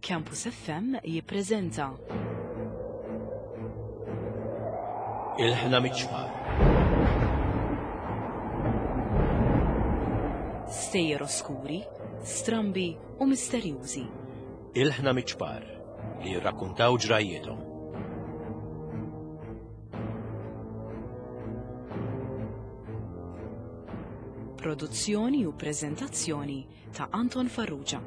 Campus FM jippreżenta. Il-ħna miċ-ċfar. Stejjer oskuri, strambi u misterjużi. Il-ħna miċ-ċpar li jirrakkuntaw ġrajjiethom. Produzzjoni u preżentazzjoni ta' Anton Farrugia.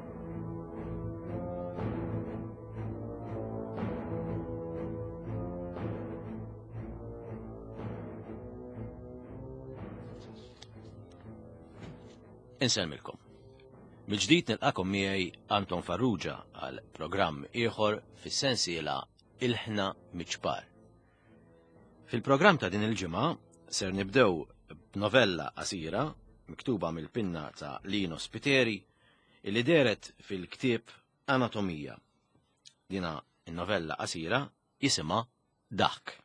Insellmilkom. Mill-ġdid nilqakom miegħi Anton Farrugia għal programm ieħor fis-sensiela Ilħna Miċpar. Fil-programm ta' din il-ġimgħa ser nibdew b'novella qasira miktuba mill-pinna ta' Lino Spiteri illi dehret fil-ktieb Anatomija. Dina in-novella qasira jisimha Daħk.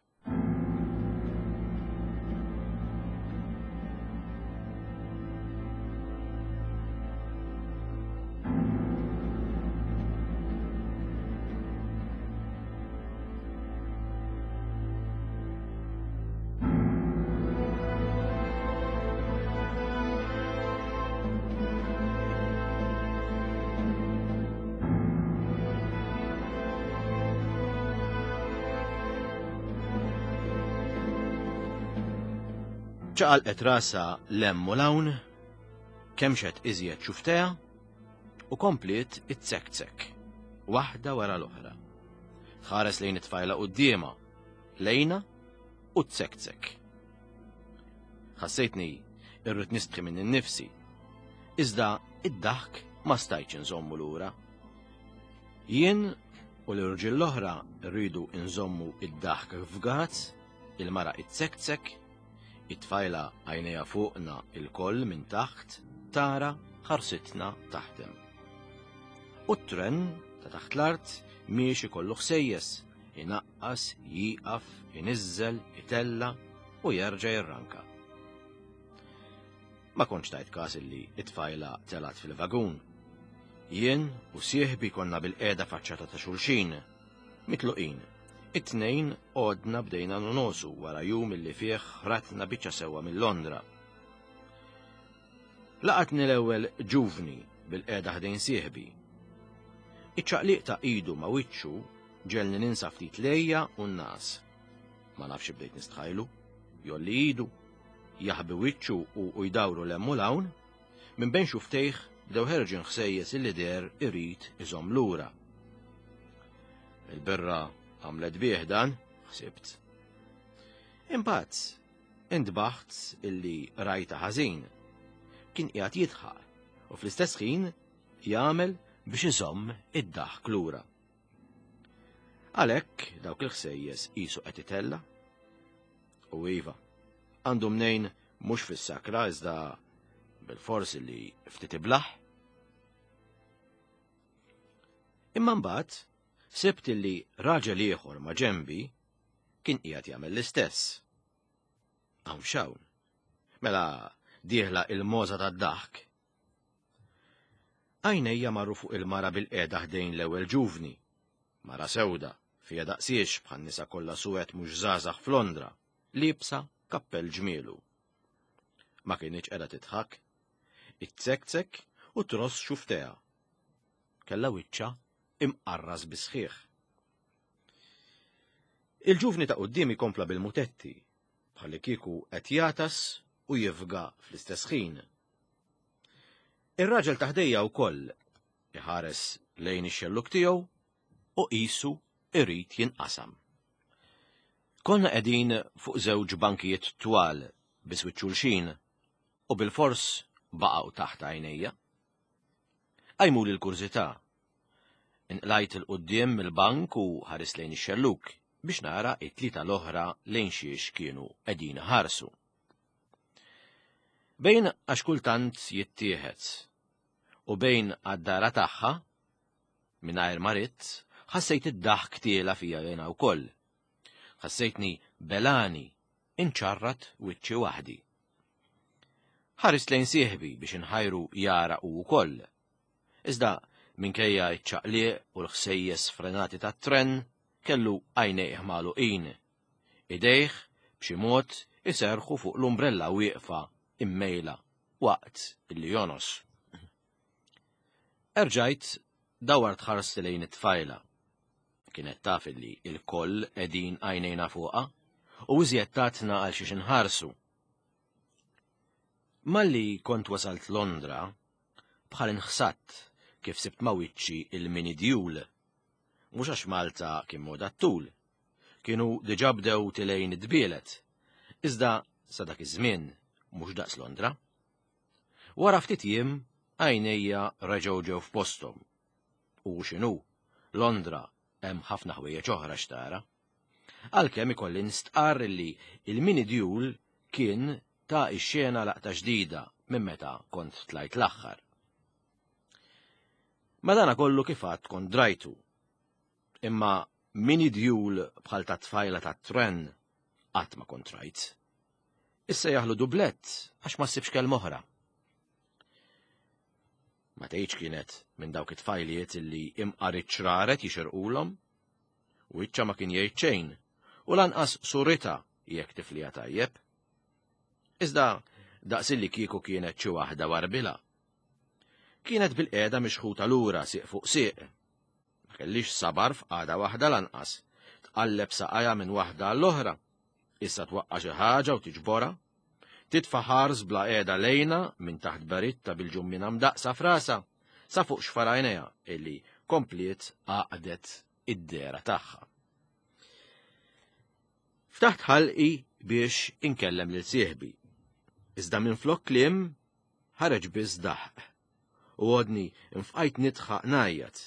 Ċaqalqet rasha 'l hemm u 'l hawn, kemxet iżjed xufftejha u kompliet itzekzek, waħda wara l-oħra. Tħares lejn it-tfajla quddiemha, lejna u tzekzek. Ħassejtni irrid nistħi minn innifsi. Iżda id-daħk ma stajtx inżommu lura. Jien u l-irġiel l-oħra rridu nżommu id-daħk f'gaz, il-mara itzekzek, it-tfajla għajnejha fuqna il-koll minn taħt tara ħarsitna taħdem. U t-tren ta' taħt l-art miexi kollu ħsejjes, inaqqas, jieqaf, iniżżel, itella' u jerġa' jirranka. Ma kontx tajt każ illi it-tfajla telgħet fil-vagun. Jien u sieħbi konna bil-qiegħda faċċata ta' xulxin, mitluqin. It-tnejn għodna bdejna nonosu wara jum illi fih ħratna biċċa sewwa minn Londra. Laqatni l-ewwel ġuvni bil-qiegħda ħdejn sieħbi. Iċ-ċaqliq ta' idu ma' wiċċu ġelni ninsa ftit lejja u n-nas. Ma nafx bdejt nistħajlu, jolli idu, jaħbi wiċċu u jdawru 'l hemm u 'l hawn, minn bejn xuftejh bdew ħerġin ħsejjes illi deher irid iżomm lura. Il-birra għamlet bih dan, ħsibt. Imbagħad intbaħt illi rajta ħażin. Kien qiegħed jidħaq u fl-istess ħin jagħmel biex iżomm id-daħk lura. Għalhekk dawk il-ħsejjes qisu qed itella'. U iva, għandu mnejn mhux fis-sakra iżda bil-fors li ftit iblaħ. Imma mbagħad sibt li raġel ieħor ma' ġenbi kien qiegħed jagħmel l-istess. Hawn x'hawn. Mela dieħla il-moża tad-daħk. Għajnejja marru fuq il-mara bil-qiegħda ħdejn l-ewwel ġuvni. Mara sewda, fija daqsiex bħan nisa kollha suwed mhux żgħażagħ f'Londra, liebsa kappell ġmielu. Ma kinitx qiegħda tidħak. Itzekzek u tross xuftejha. Kellha wiċċha imqarras bis-sħiħ. Il-ġuvni ta' quddiemi kompla bil-mutetti, bħallikieku qed jagħtas u jifga fl-istess ħin. Ir-raġel ta' ħdejja wkoll iħares lejn ix-xelluk tiegħu u qisu irid jinqasam. Konna qegħdin fuq żewġ bankijiet twal biswit xulxin u bilfors baqgħu taħt għajnejja. Qajmuli l-kurżità. Inqlajt 'il quddiem mill-bank u ħarist lejn ix-xellug biex nara it-tlieta l-oħra lejn xiex kienu qegħdin iħarsu. Bejn għax kultant jittieħed u bejn għad-dara tagħha, mingħajr ma ridt, ħassejt id-daħk tiela fija jiena wkoll. Ħassejtni belani inċarrat wiċċi waħdi. Ħarist lejn sieħbi biex inħajru jara hu wkoll. Iżda Minkejja ċ-ċaqliq u l-ħsejjes frenati tat-tren, kellu għajnejh magħluqin. Idejh b'xi mod iserrħu fuq l-umbrella wieqfa immejla waqt illi jonos. Erġajt dawart ħarsti lejn it-tfajla. Kienet taf illi il-koll qegħdin għajnejna fuqha u iżjed tatna għal xiex inħarsu. Malli kont wasalt Londra, bħal inħsadt kif sibt ma' wiċċi il-mini djul. Mhux għax Malta kien moda t-tul. Kienu diġà bdew tilejn id-dbielet. Iżda sa dak iż-żmien mhux daqs Londra. Wara ftit jiem għajnejja reġgħu ġew f'posthom. U x'inhu, Londra hemm ħafna ħwejjeġ oħra x'tara. Għalkemm ikolli nistqarr li il-mini djul kien ta ix-xena laqta ġdida minn meta kont tlajt l-aħħar. Madana kollu kif għad kont drajtu. Imma mini djul bħal ta' tfajla ta' tren qatt ma kont rajt. Issa jaħlu dublett għax ma ssibx kelma oħra. Ma tgħidx kienet minn dawk it-tfajliet illi imqar iċ-ċraret jixirqulhom. Wiċċa ma kien jgħid xejn u lanqas surita jekk tifliha tajjeb. Iżda daqs illi kieku kienet xi waħda warbila. Kienet bil-qiegħda mixħuta lura sieq fuq sieq. Ma kellix sabar f'qagħda waħda lanqas. Tqalleb saqajha minn waħda għall-oħra. Issa twaqqa' xi ħaġa u tiġborha. Titfa' ħars bla qiegħda lejna minn taħt beritta bil-ġummina mdaqqsa f'rasha sa fuq xfar għajnejha illi kompliet għaqdet id-dehra tagħha. Ftaħt ħalqi biex inkellem lil sieħbi. Iżda minflok kliem ħareġ biss daħq u għodni nfqajt nidħaq ngħajjat.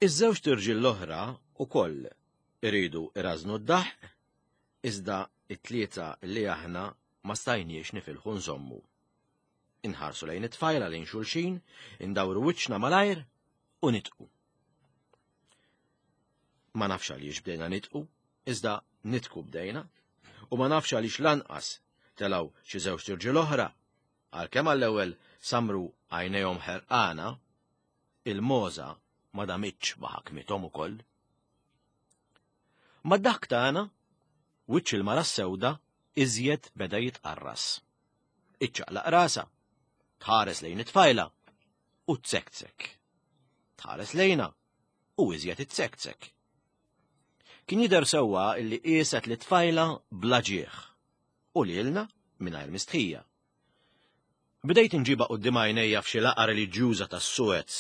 Iż-żewġt irġiel l-oħra ukoll iridu irażnu d-daħq, iżda it-tlieta li aħna ma stajniex nifilħu nżommu. Inħarsu lejn it-tfajla lejn xulxin, indawru wiċċna malajr u nitqu. Ma nafx għaliex bdejna nitqu, iżda nitku bdejna, u ma nafx għaliex lanqas telgħu xi żewġt irġiel oħra, għalkemm għall-ewwel samru għajnejhom ħerqana, il-mogħża ma damitx ma ħakmithom ukoll. Mad-daħk tagħna, wiċċ il-mara s-sewda iżjed beda jitqarras. Iċċaqlaq rasha, tħares lejn it-tfajla u tsektsek. Tħares lejna u iżjed itsektsek. Kien jidher sewwa illi qieset li tfajla bla ġieħ u lilna mingħajr mistħija. Bdejt inġibha quddiem għajnejja f'xi laqgħa reliġjuża tas-Suez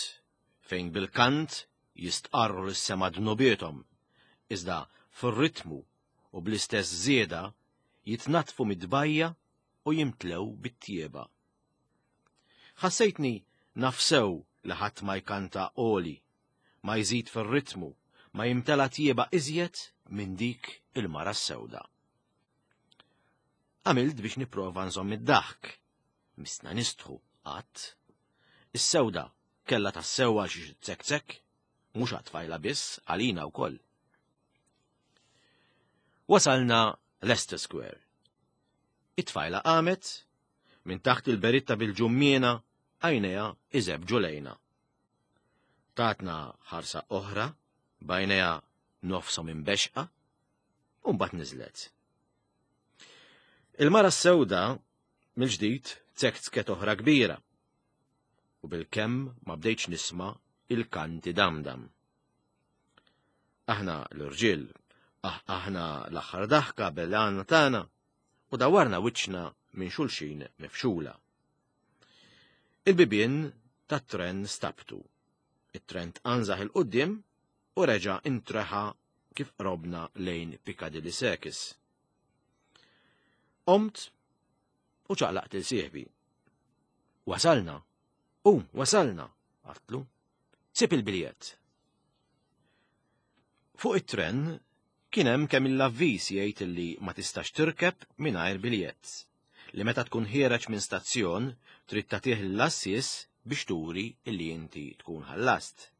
fejn bil-kant jistqarru lis-sema dnubiethom, iżda fir-ritmu u bl-istess żieda jitnaddfu mid-tbajja u jimtlew bit-tjieba. Ħassejtni naf sew li ħadd ma jkanta għoli, ma jżid fir-ritmu, ma jimtela tjieba iżjed minn dik il-mara s-sewda. Għamilt biex nipprova nżomm id-daħk. Missna nistħu, qatt. Is-sewda kellha tassew għal xi tsektsek, mhux għat-tfajla biss, għalina wkoll. Wasalna Leicester Square. It-tfajla qamet, minn taħt il-beritta bil-ġummiena, għajnejha iżebġu lejna. Tatna ħarsa oħra, b'għajnejha nofshom imbexqa, u mbagħad niżlet. Il-mara s-sewda mill-ġdid tsektsket oħra kbira u bil-kemm ma bdejtx nisma' il-kanti damdam. Aħna l-irġiel, ah, aħna l-aħħar daħka bel-għana tagħna u dawarna wiċċna minn xulxin mifxula. Il-bibien tat-tren stabtu. It-tren tqanżaħ il-qudiem u reġa' intreħa kif qrobna lejn Piccadilly Circus. Qomt u ċaqlaqt il sieħbi. Wasalna! U, wasalna! Għatlu. Sib il-biljett. Fuq it-tren kien hemm kemm il-avviż jgħid li ma tistax tirkeb mingħajr biljett, li meta tkun ħiereġ minn stazzjon trid tagħtih l-għassies biex turi li inti tkun ħallast.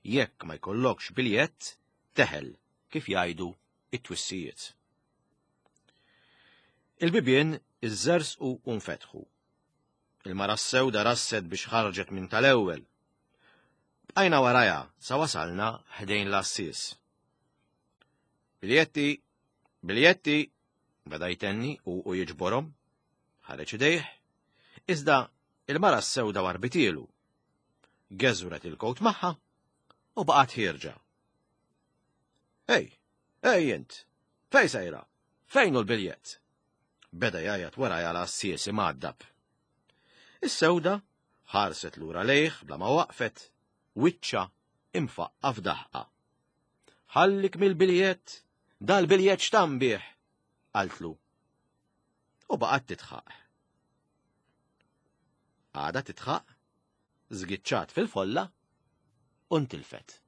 Jekk ma jkollokx biljett, teħel, kif jgħidu it-twissijiet. Il-bibien iżżerżqu u nfetħu. Il-mara s-sewda rasset biex ħarġet minn tal-ewwel. Bqajna warajha sa wasalna ħdejn l-għassies. Biljetti, biljetti, beda jtenni u u jiġborhom. Ħareġ idejh, iżda il-mara s-sewda warbitielu. Geżwret il-kowt magħha u baqgħet ħierġa. Ej, ej int, fej sejra? Fejn hu l-biljett? Beda jgħajjat warajha l-għassies imgħaddab. Is-sewda ħarset lura lejh bla ma waqfet, wiċċha imfaqqa' f'daħqa. Ħallik mill-biljett, dal-biljett x'tam bih, qaltlu. U baqgħet titħaq. Għada titħaq, żgiċċat fil-folla u ntilfet.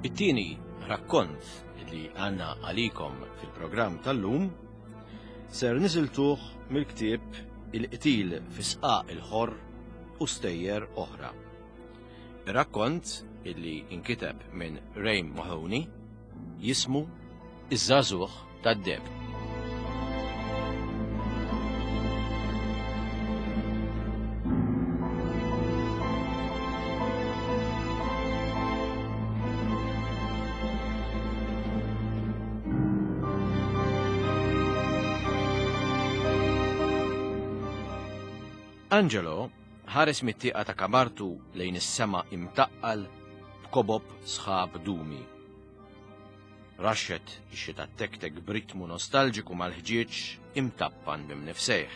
It-tieni rakkont li għanna għalikom fil-programm tal-lum ser nisiltuh mill-ktieb Il-qtil fi sqaq il-ħorr u stejjer oħra. Ir-rakkont illi inkiteb minn Ray Mahoney jismu Iż-żagħżugħ tad-deheb. Angelo ħares mit-tieqa ta' kamartu lejn is-sema imtaqqal b'kobob sħab dumi. Raxxet ix-xita tektek b'ritmu nostalġiku mal-ħġieġ imtappan b'imnifsejh.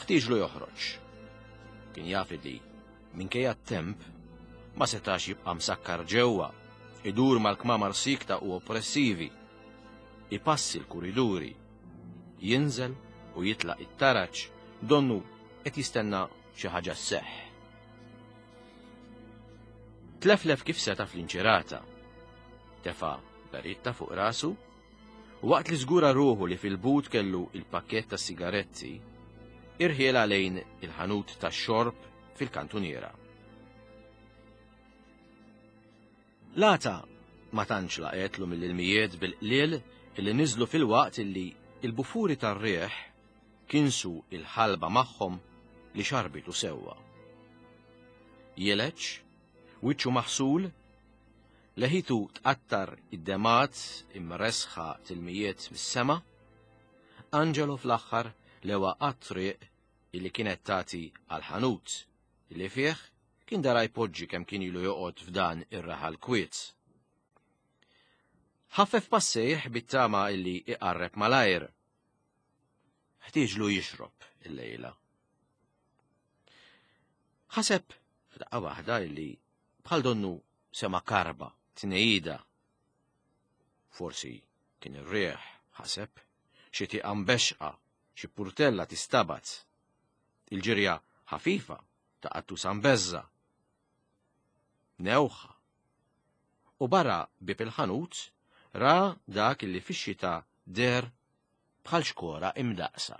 Ħtieġlu joħroġ. Kien jaf li, minkejja t-temp, ma setax jibqa' msakkar ġewwa, idur mal-kmamar siekta u oppressivi, ipassi l-kuriduri, jinżel u jitlaq it-taraġ donnu qed jistenna xi ħaġa sseħħ. Tleflef kif seta' fl-inċirata. Tefa' beritta fuq rasu u waqt li żgura ruħu li fil-but kellu il-pakkett ta' sigaretti, irħiela lejn il-ħanut tax-xorb fil-kantuniera. L-għata ma tantx laqgħetlu mill-ilmijiet bil-qliel illi niżlu filwaqt illi il-bufuri tar-riħ kinsu il-ħalba magħhom li xarbitu sewwa. Jeleġ, wiċċu maħsul, leħitu tqattar id-demat imresħa tilmijiet mis-sema, Angelo fl-aħħar lewa għat-triq illi kienet tagħti għall-ħanut illi fih kien dara jpoġġi kemm kien ilu joqgħod f'dan ir-raħal kwiet. Ħaffef passejh bit-tama illi iqarreb malajr. Ħtieġlu jixrob illejla. Ħaseb f'daqqa waħda illi bħal donnu sema karba, tnejida. Forsi kien ir-riħ, ħaseb, xi tieqa mbexqa, xi purtella tistabat. Il-ġirja ħafifa ta' qattusa mbeżża. Newħa. U barra bieb il-ħanut ra dak illi fix-xita deher bħal xkora imdaqsa.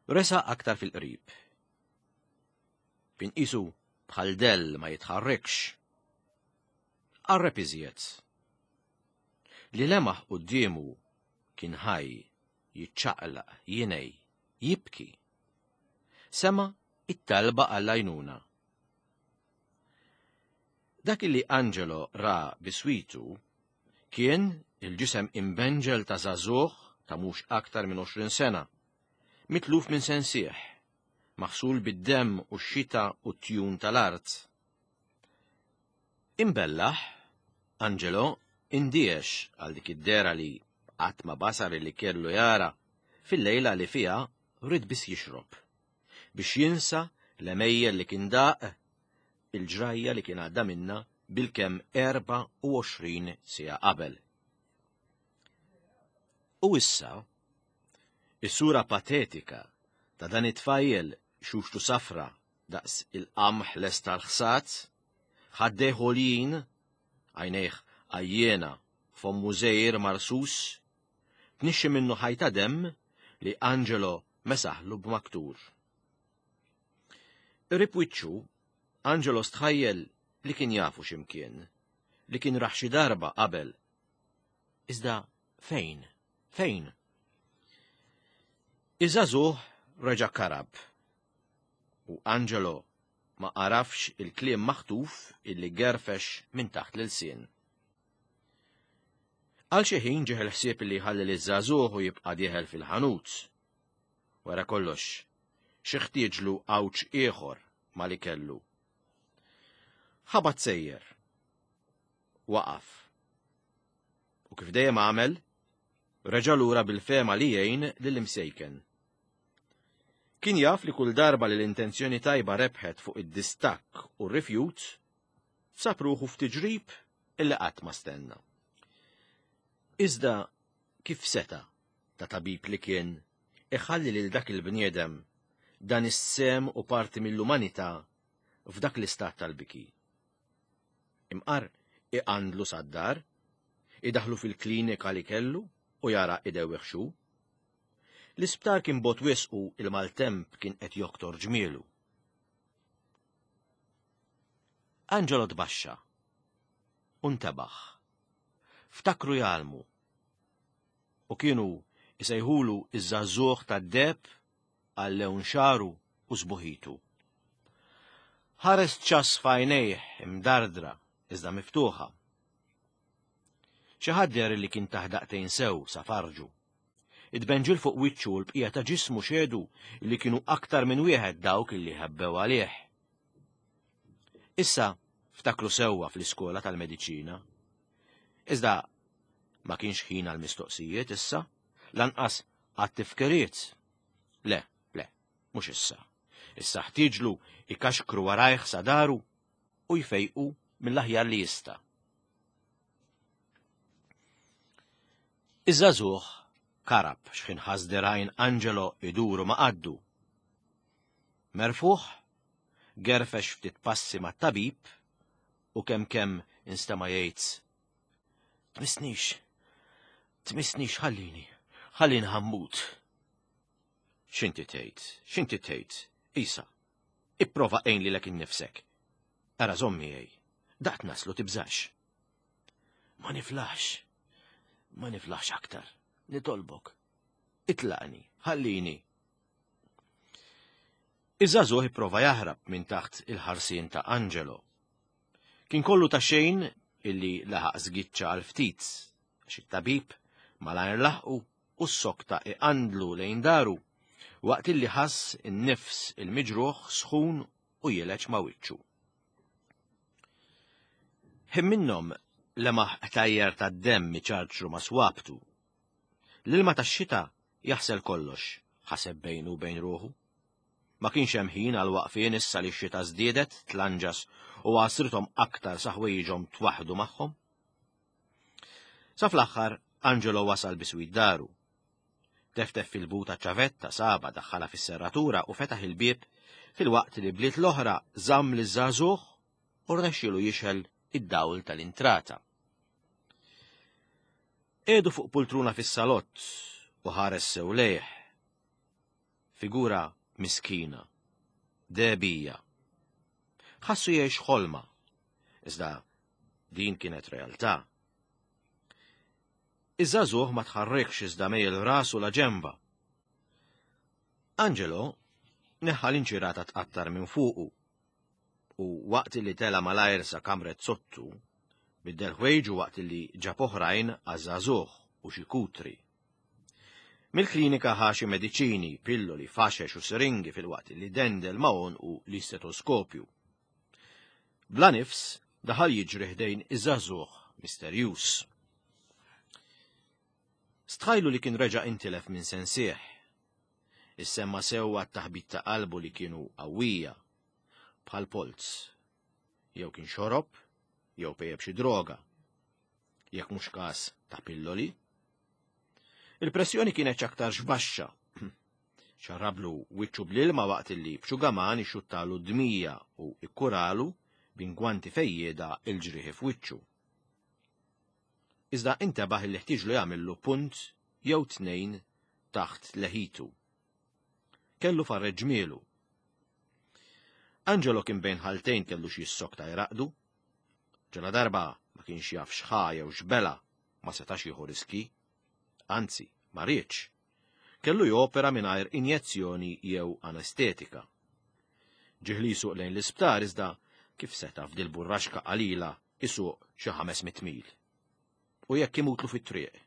Resa aktar fil-qrib. Kien qisu bħal dell ma jitħarrikx. Qarreb iżjed. Li lemaħ quddiemu kien ħaj, jiċċaqlaq, jingħi, jibki. Sema' it-talba għall-għajnuna. Dak li Angelo ra biswitu kien il-ġisem imbenġel ta' żagħżugħ ta' mhux aktar minn 20 sena, mitluf minn sensih, maħsul bid-demm u x-xita u t-tjun tal-art. Imbellaħ, Angelo indiex għal dik id-dehra li qatt ma basar li kellu jara fil-lejla li fiha ried biss jixrob, biex jinsa l-għemejjel li kien daq, il-ġrajja li kien għadda minnha bilkemm 24 siegħa qabel. U issa, is-sura patetika ta' dan it-tfajjel xuxtu safra daqs il-qamħ lest tal-ħsad, ħaddejh għoljin, għajnejh għajjena, fommu żgħir marsus, tnixxi minnu ħajta demm li Angelo mesaħlu b'maktur. Qrib wiċċu, Angelo stħajjel li kien jafu x'imkien, li kien rah xi darba qabel. Iżda fejn? Fejn? Iż-żagħżugħ reġa' karab u Angelo ma għarafx il-kliem maħtuf illi gerfex minn taħt l-ilsien. Għal xi ħin ġieħ il-ħsieb li jħalli liż-żagħżugħ u jibqa' dieħel fil-ħanut. Wara kollox, xi ħtieġlu għawġ ieħor ma li kellu. Ħabat sejjer. Waqaf. U kif dejjem għamel, reġa' lura bil-fehma li jgħin lill-imsejken. Kien jaf li kull darba li l-intenzjoni tajba rebħet fuq id-distakk u r-rifjut, sab ruħu f'tiġrib illi qatt ma stenna. Iżda kif seta' ta' tabib li kien iħalli lil dak il-bniedem dan is-sehem u parti mill-umanità f'dak l-istat tal-biki? Imqar iqandlu sad-dar, idaħħlu fil-klinika li kellu u jara idewwih x'hu. L-isptar kien bogħod wisq u l-maltemp kien qed joktor ġmielu. Angelo tbaxxa u ntebaħ. Ftakru jgħallmu. U kienu jsejħulu iż-żagħżugħ tad-deheb għal lewn xagħru u sbuħitu. Ħares ċass f'għajnejh imdardra iżda miftuħa. Xi ħadd deher li kien tah daqtejn sew sa farġu. It-tbenġil fuq wiċċu u l-bqija ta' ġismu xehdu li kienu aktar minn wieħed dawk li ħebbew għalih. Issa ftakru sewwa fl-iskola tal-mediċina. Iżda ma kienx ħin għall-mistoqsijiet issa, lanqas għat-tifkiriet. Le, le, mhux issa. Issa ħtieġlu ikaxkru warajh sa daru u jfejqu mill-aħjar li jista'. Iż-żagħżugħ karab x'ħin ħass dirgħajn Angelo iduru ma' qaddu. Merfugħ, gerfex ftit passi mat-tabib u kemm kemm instema' jgħid, Tmissnix, tmissnix ħallini, ħallini ħammut. X'inti tgħid, x'inti tgħid, Isa, ipprova għin lilek innifsek. Ara żomm miegħi, daqt naslu tibżax. Ma niflaħx, ma niflaħx aktar, nitolbok. Itlaqni, ħallini. Iż-żagħżugħ ipprova jaħrab minn taħt il-ħarsien ta' Angelo. Kien kollu ta' xejn illi laħaq żgiċċa għal ftit, għax it-tabib malajr laħqu u ssokta iqandlu lejn daru waqt illi ħass in-nifs il-miġruħ sħun u jileġ ma' wiċċu. Ħin minnhom lemaħ qtajjar tad-demm iċarċru ma' swabtu. L-ilma tax-xita jaħsel kollox, ħaseb bejnu u bejn ruħu. Ma kienx hemm ħin għal waqfien issa li x-xita żdiedet tlanġas u għasrithom aktar sa ħwejjiġhom twaħħdu magħhom. Sa fl-aħħar Angelo wasal biswit daru. Teftef fil-but ċavetta saba daħħalha fis-serratura u fetaħ il-bieb filwaqt li bliet l-oħra żamm liż-żagħżugħ u rnexxielu jixgħel id-dawl tal-intrata. Qiegħdu fuq pultruna fis-salott u ħares sew lejh. Figura miskina, dehbija. Ħassu jgħix ħolma, iżda din kienet realtà. Iż-żagħżugħ ma tħarrikx iżda mejjel rasu la ġenba. Angelo neħħa l-inċirata tqattar minn fuqu u waqt li tela malajr sa kamret sottu, biddel ħwejġu waqt li ġab oħrajn għaż-żagħżugħ u xi kutri. Mill-klinika ħa xi mediċini, pilloli, faxex u siringi filwaqt li dendel ma' għonqu l-istetoskopju. Bla nifs daħal jiġri ħdejn iż-żagħżugħ misterjuż. Stħajlu li kien reġa' intilef minn sensih. Issemma sewwa t-taħbit ta' qalbu li kienu qawwija, bħal polz. Jew kien xorob, jew pejjep xi droga. Jekk mhux każ ta' pilloli. Il-pressjoni kienet x'aktarx baxxa. Xarrablu wiċċu bl-ilma waqt illi b'xugaman ixxuttalu d-dmija u ikkuralu b'ingwanti fejjieda il-ġrieħi f'wiċċu. Iżda intebaħ illi ħtieġlu jagħmillu punt jew tnejn taħt leħitu. Kellu farreġ ġmielu. Angelo kien bejn ħaltejn kellu xi jissokta jraqdu. Ġala darba ma kienx jaf x'ħa jew x'bela ma setax jieħu riski. Anzi, ma riedx. Kellu jopera mingħajr injezzjoni jew anestetika. Ġieħ li jsuq lejn l-isptar iżda kif seta' f'dil-burraxka qalila isuq xi 500 mil. U jekk imutlu fit-triq.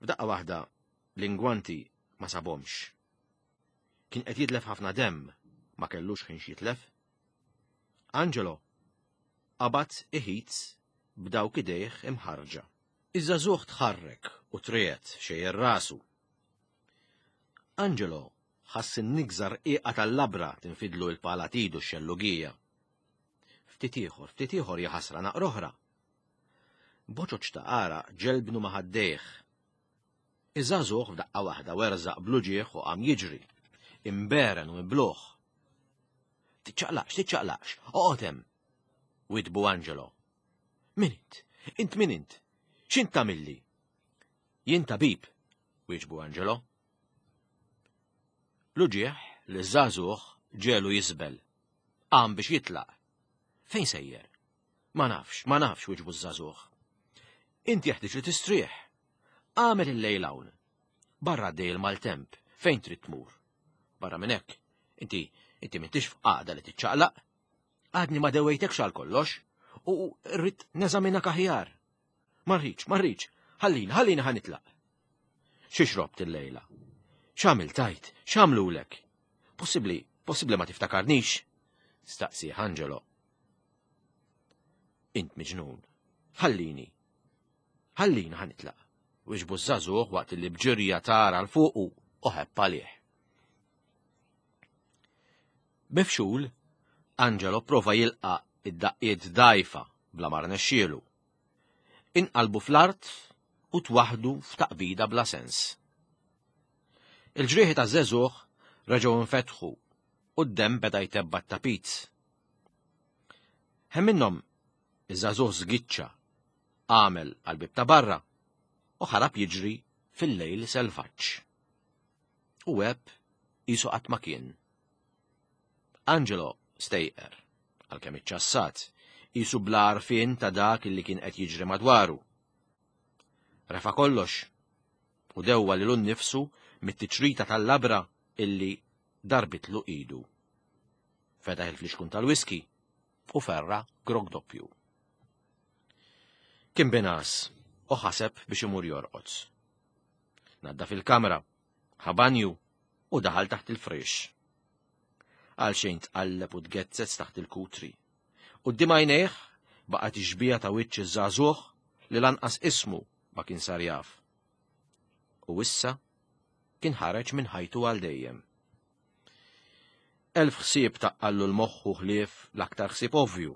F'daqqa waħda l-ingwanti ma sabhomx. Kien qed jitlef ħafna demm, ma kellux ħin x'jitlef. Angelo qabad iħit b'dawk idejh imħarġa. Iż-żagħżugħ tħarrek u triegħed xejjer rasu. Angelo ħass in-nigża rqiqa tal-labra tinfidlu il-pala t'idu x-xellugija. Ftit ieħor, ftit ieħor jaħasra naqra oħra. Boċoċ ta' għaraq ġelbnu ma' ħaddejh. Iż-żagħżugħ f'daqqa waħda werżaq bl-uġigħ u qam jiġri, imberen u mibluh. Tiċċaqlaqx, tiċċaqlaqx, oqgħod hemm! Witbu Angelo. Min int? Int min int? X'int tagħmilli? Jien tabib, wieġbu Angelo. L-uġigħ li ż-żagħżugħ ġelu jisbel. Qam biex jitlaq. Fejn sejjer? Ma nafx, ma nafx, wieġbu ż-żagħżugħ. Int jeħtieġ li tistrieħ. Għamel il-lejl hawn. Barra għaddej il-maltemp, fejn trid tmur? Barra minn hekk, inti inti m'intix f'qagħda li tiċċaqlaq. Għadni ma dewejtekx għal kollox u rrid neżaminak aħjar. Ma rridx, ma rridx, ħallini, ħallini ħa nitlaq. Xi xrobt illejla? X'għamilt tajt? X'għamlulek? Possibbli, possibbli ma tiftakarnix? Staqsi Angelo. Int miġnun. Ħallini. Ħallini ħa nitlaq. Wieġbu ż-żagħżugħ waqt li b'ġirja tara 'l fuqu u ħebb għalih. Mifxul, Angelo prova jilqa' id-daqqiet dgħajfa bla ma rnexxielu. Inqalbu fl-art u twaħħdu f'taqbida bla sens. Il-ġrieħi taż-żagħżugħ reġgħu nfetħu u d-demm beda jtebba' t-tapit. Hemm minnhom iż-żagħżugħ żgiċċa, għamel għall-bieb ta' barra u ħarab jiġri fil-lejl selvaġġ. U għeb qisu qatt ma kien. Angelo stejqer, għalkemm iċċassat, qisu bla għarfien ta' dak li kien qed jiġri madwaru. Refa' kollox u dewwa lilu nnifsu mit-tiċrita tal-labra illi darbitlu idu. Fetaħ il-flixkun tal-whisky u ferra grog doppju. Kien binas u ħaseb biex imur jorqod. Naddaf il-kamra, ħa banju u daħal taħt il-friex. Għal xejn tqalleb u tgezzez taħt il-kutri. Quddiem għajnejh baqgħet ix-xbieha ta' wiċċ iż-żagħżugħ li lanqas ismu ma kien sar jaf. U issa kien ħareġ minn ħajtu għal dejjem. Elf ħsieb taqqallu l-moħħu ħlief l-aktar ħsieb ovvju.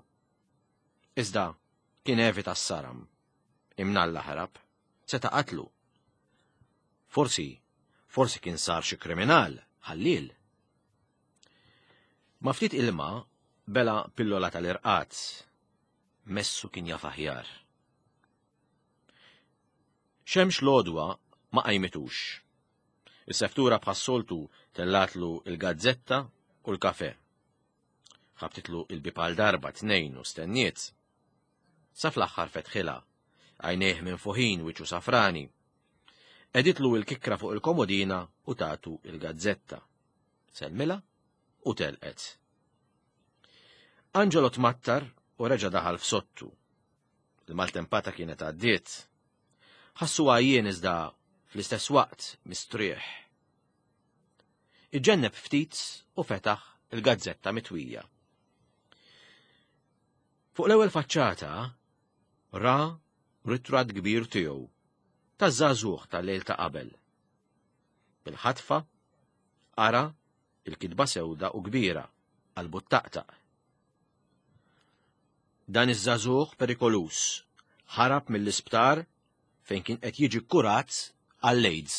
Iżda kien evita s-saram. Imnalla ħarab. Seta' qatlu. Forsi, forsi kien sar xi kriminal, ħalliel. Ma ftit ilma bela pillola tal-irqad. Messu kien jaf aħjar. Xemx l-għodwa ma qajmitux. Is-seftura bħas-soltu tellatlu il-gazzetta u l-kafe. Ħabtitlu il-bib għal darba tnejn u stenniet. Sa fl-aħħar fetħilha, għajnejh minfuħin wiċċu safrani. Qegħditlu il-kikkra fuq il-komodina u tatu il-gazzetta. Sellmilha u telqet. Angelo tmattar u reġa' daħal f'sottu. Il-maltempata kienet għaddiet. Ħassu għajjien iżda fl-istess waqt mistrieħ. Iġġenneb ftit u fetaħ il-gazzetta mitwija. Fuq l-ewwel faċċata ra ritratt kbir tiegħu taż-żagħżugħ tal-lejl ta' qabel. Bil-ħatfa qara il-kitba sewda u kbira qalbu ttaqtaq. Dan iż-żagħżugħ perikoluż ħarab mill-isptar fejn kien qed jiġi kkurat għall-AIDS.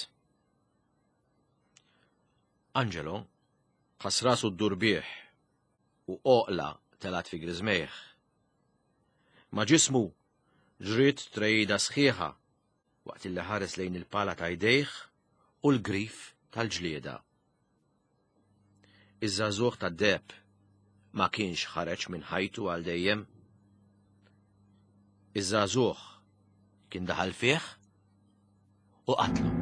Angelo ħass rasu ddur bih u għoqla telgħet fi griżmejh. Ma' ġismu ġriet trejda sħiħa waqt illi ħares lejn il-pala ta' jdejh u l-grif tal-ġlieda. Iż-żagħżugħ tad-deheb ma kienx ħareġ minn ħajtu għal dejjem. Iż-żagħżugħ kien daħal fih u qatlu.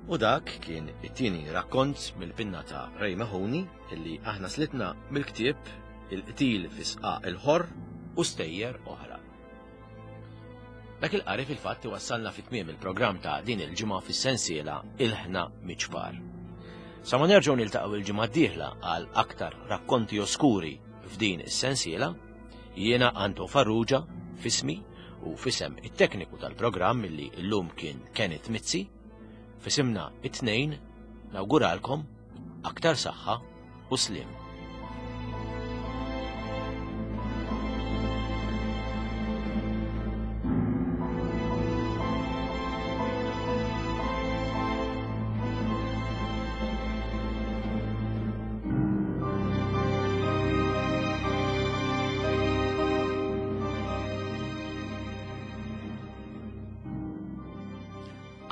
U dak kien it-tieni rakkont mill-pinna ta' Ray Mahoney illi aħna slitna mill-ktieb Il-qtil fi sqaq il-ħorr u stejjer oħra. Dak il-qari fil-fatt iwassalna fi tmiem il-programm ta' din il-ġimgħa fis-sensiela Ilħna Miċpar. Sa ma nerġgħu niltaqgħu il-ġimgħa d-dieħla għal aktar rakkonti oskuri f'din is-sensiela, jiena Anto Farrugia fismi u fisem it-tekniku tal-programm illi llum kien Kenneth Mizzi, fisimna it-tnejn nawguralkom aktar saħħa u sliem.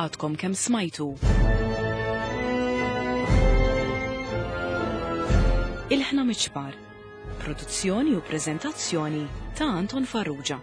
Għadkom kemm smajtu. Il-ħna miċpar. Produzzjoni u prezentazzjoni ta' Anton Farrugia.